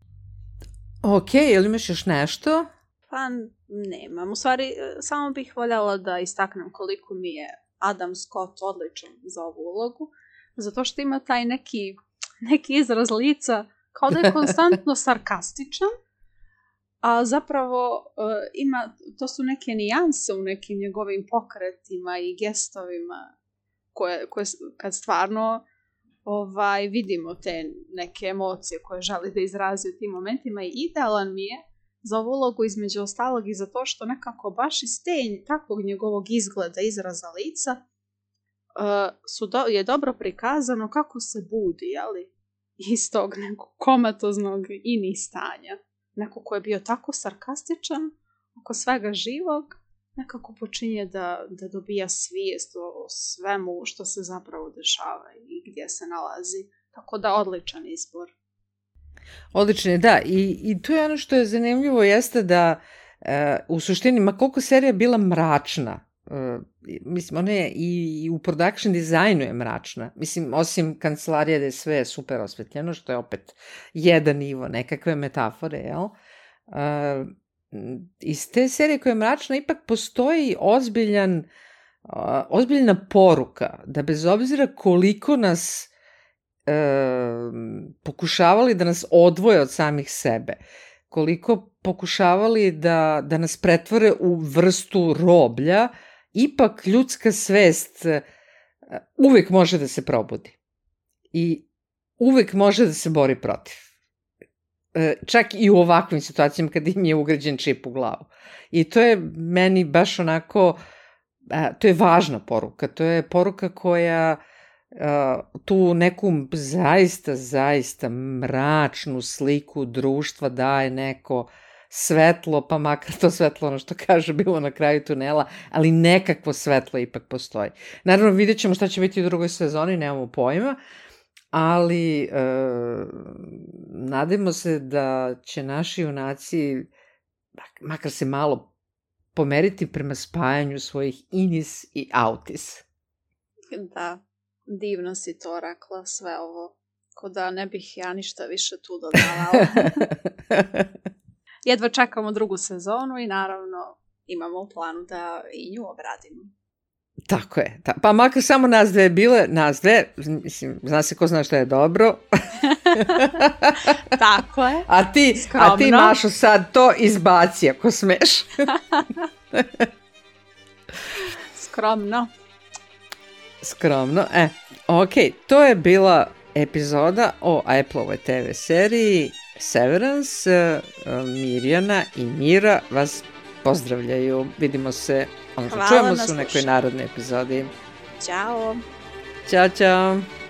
Ok, ili imaš još nešto? Pa nemam. U stvari, samo bih voljela da istaknem koliko mi je Adam Scott odličan za ovu ulogu, zato što ima taj neki, neki izraz lica kao da je konstantno sarkastičan, a zapravo uh, ima, to su neke nijanse u nekim njegovim pokretima i gestovima koje, koje kad stvarno Ovaj, vidimo te neke emocije koje želi da izrazi u tim momentima i idealan mi je za ovu ulogu između ostalog i za to što nekako baš iz te takvog njegovog izgleda, izraza lica uh, su do, je dobro prikazano kako se budi, jeli, iz tog nekog komatoznog ini stanja. Neko ko je bio tako sarkastičan oko svega živog, nekako počinje da, da dobija svijest o svemu što se zapravo dešava i gdje se nalazi. Tako da odličan izbor. Odličan je, da. I, i tu je ono što je zanimljivo jeste da e, u suštini, ma koliko serija bila mračna, e, mislim, ona je i, i u production dizajnu je mračna. Mislim, osim kancelarije da je sve super osvetljeno, što je opet jedan nivo nekakve metafore, jel? E, iz te serije koja je mračna ipak postoji ozbiljan, uh, ozbiljna poruka da bez obzira koliko nas uh, pokušavali da nas odvoje od samih sebe, koliko pokušavali da, da nas pretvore u vrstu roblja, ipak ljudska svest uh, uvek može da se probudi i uvek može da se bori protiv. Čak i u ovakvim situacijama kad im je ugrađen čip u glavu. I to je meni baš onako, to je važna poruka, to je poruka koja uh, tu neku zaista, zaista mračnu sliku društva daje neko svetlo, pa makar to svetlo, ono što kaže, bilo na kraju tunela, ali nekakvo svetlo ipak postoji. Naravno, vidjet ćemo šta će biti u drugoj sezoni, nemamo pojma, ali e, nadajmo se da će naši junaci makar se malo pomeriti prema spajanju svojih inis i autis. Da, divno si to rekla, sve ovo, ko da ne bih ja ništa više tu dodavala. Jedva čekamo drugu sezonu i naravno imamo u planu da i nju obradimo. Tako je. Ta, pa makar samo nas dve bile, nas dve, mislim, zna se ko zna što je dobro. Tako je. A ti, a ti Mašo sad to izbaci ako smeš. Skromno. Skromno, e, ok, to je bila epizoda o Apple-ovoj te ve seriji Severance. Mirjana i Mira vas pozdravljaju. Vidimo se, odnosno čujemo se u nekoj narodnoj epizodi. Ćao. Ćao, čao.